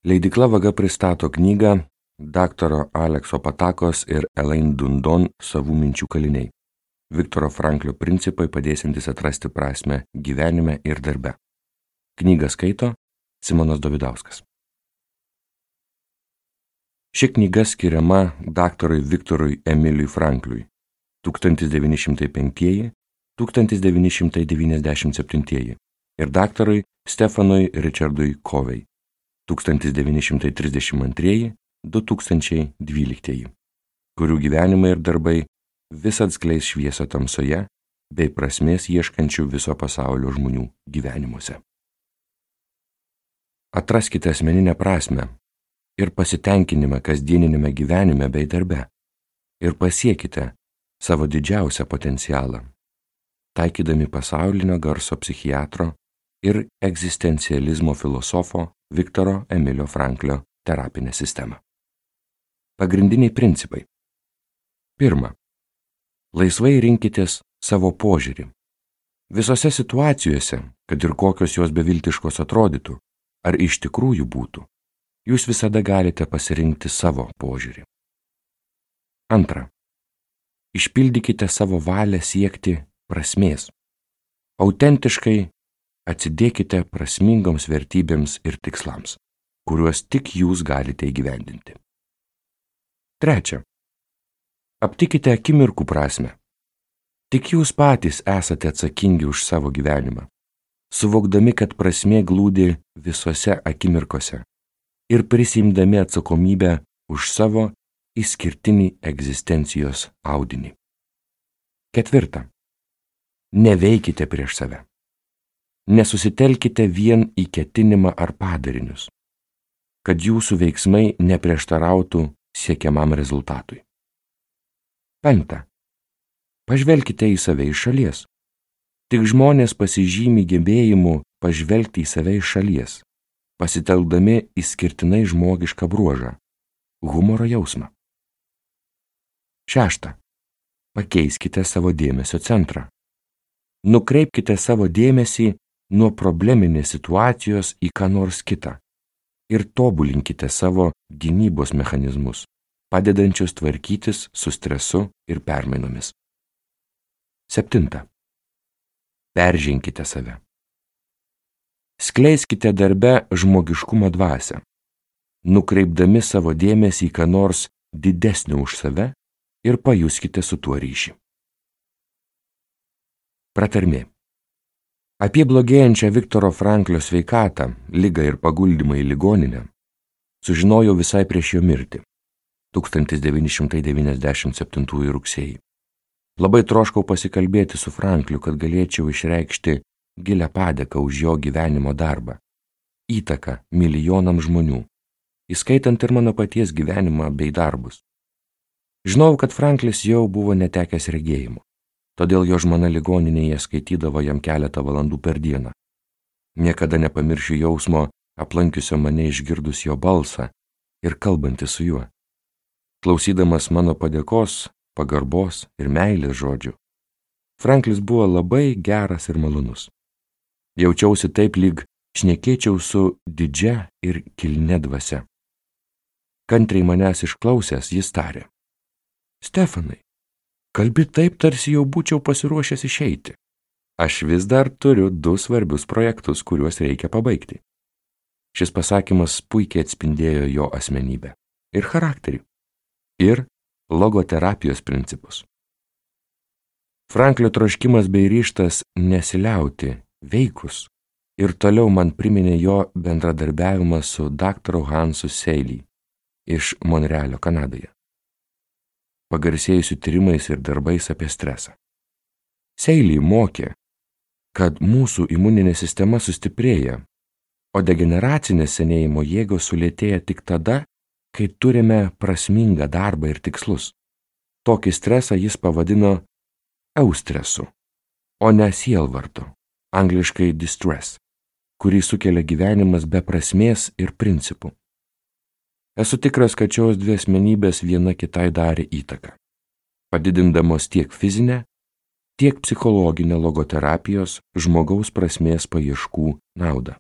Leidykla Vaga pristato knygą daktaro Alekso Patakos ir Elaine Dundon Savų minčių kaliniai. Viktoro Franklio principai padėsiantys atrasti prasmę gyvenime ir darbe. Knygą skaito Simonas Dovidauskas. Ši knyga skiriama daktarui Viktorui Emiliui Frankliui 1905–1997 ir daktarui Stefanui Richardui Covey 1932–2012, kurių gyvenimai ir darbai vis atskleis šviesą tamsoje bei prasmės ieškančių viso pasaulio žmonių gyvenimuose. Atraskite asmeninę prasmę ir pasitenkinimą kasdieninėme gyvenime bei darbe ir pasiekite savo didžiausią potencialą, taikydami pasaulinio garso psichiatro ir egzistencializmo filosofo Viktoro Emilio Franklio terapinę sistemą. Pagrindiniai principai. Pirma. Laisvai rinkitės savo požiūrį. Visose situacijose, kad ir kokios jos beviltiškos atrodytų, ar iš tikrųjų būtų, jūs visada galite pasirinkti savo požiūrį. Antra. Išpildykite savo valią siekti prasmės. Autentiškai atsidėkite prasmingoms vertybėms ir tikslams, kuriuos tik jūs galite įgyvendinti. Trečia. Aptikite akimirkų prasmę. Tik jūs patys esate atsakingi už savo gyvenimą, suvokdami, kad prasmė glūdi visose akimirkose ir prisiimdami atsakomybę už savo išskirtinį egzistencijos audinį. Ketvirta. Neveikite prieš save. Nesusitelkite vien į ketinimą ar padarinius, kad jūsų veiksmai neprieštarautų siekiamam rezultatui. Penkta. Pažvelkite į save iš šalies. Tik žmonės pasižymi gebėjimu pažvelgti į save iš šalies, pasitelkdami išskirtinai žmogišką bruožą – humoro jausmą. Šešta. Pakeiskite savo dėmesio centrą. Nukreipkite savo dėmesį nuo probleminės situacijos į ką nors kitą ir tobulinkite savo gynybos mechanizmus, padedančius tvarkytis su stresu ir permainomis. Septinta. Perženkite save. Skleiskite darbe žmogiškumo dvasią, nukreipdami savo dėmesį į ką nors didesnį už save ir pajuskite su tuo ryšį. Pratarmė. Apie blogėjančią Viktoro Franklio sveikatą, ligą ir paguldymą į ligoninę sužinojau visai prieš jo mirtį 1997 rugsėjį. Labai troškau pasikalbėti su Frankliu, kad galėčiau išreikšti gilią padėką už jo gyvenimo darbą, įtaką milijonams žmonių, įskaitant ir mano paties gyvenimą bei darbus. Žinau, kad Franklis jau buvo netekęs regėjimo. Todėl jo žmona ligoninėje skaitydavo jam keletą valandų per dieną. Niekada nepamiršiu jausmo, aplankiusio mane išgirdus jo balsą ir kalbantį su juo. Klausydamas mano padėkos, pagarbos ir meilės žodžių, Franklis buvo labai geras ir malonus. Jaučiausi taip, lyg šnekėčiau su didžia ir kilnia dvasia. Kantriai manęs išklausęs, jis tarė: Stefanai, kalbi taip, tarsi jau būčiau pasiruošęs išeiti. Aš vis dar turiu 2 svarbius projektus, kuriuos reikia pabaigti. Šis pasakymas puikiai atspindėjo jo asmenybę ir charakterį, ir logoterapijos principus. Franklio troškimas bei ryžtas nesiliauti, veikus, ir toliau man priminė jo bendradarbiavimą su daktaru Hansu Seiley iš Monrealio, Kanadoje, pagarsėjusių tyrimais ir darbais apie stresą. Seiley mokė, kad mūsų imuninė sistema sustiprėja, o degeneracinės senėjimo jėgos sulėtėja tik tada, kai turime prasmingą darbą ir tikslus. Tokį stresą jis pavadino eustresu, o ne sielvartu, angliškai distress, kurį sukelia gyvenimas be prasmės ir principų. Esu tikras, kad šios 2 asmenybės viena kitai darė įtaką, padidindamos tiek fizinę, tiek psichologinę logoterapijos žmogaus prasmės paieškų naudą.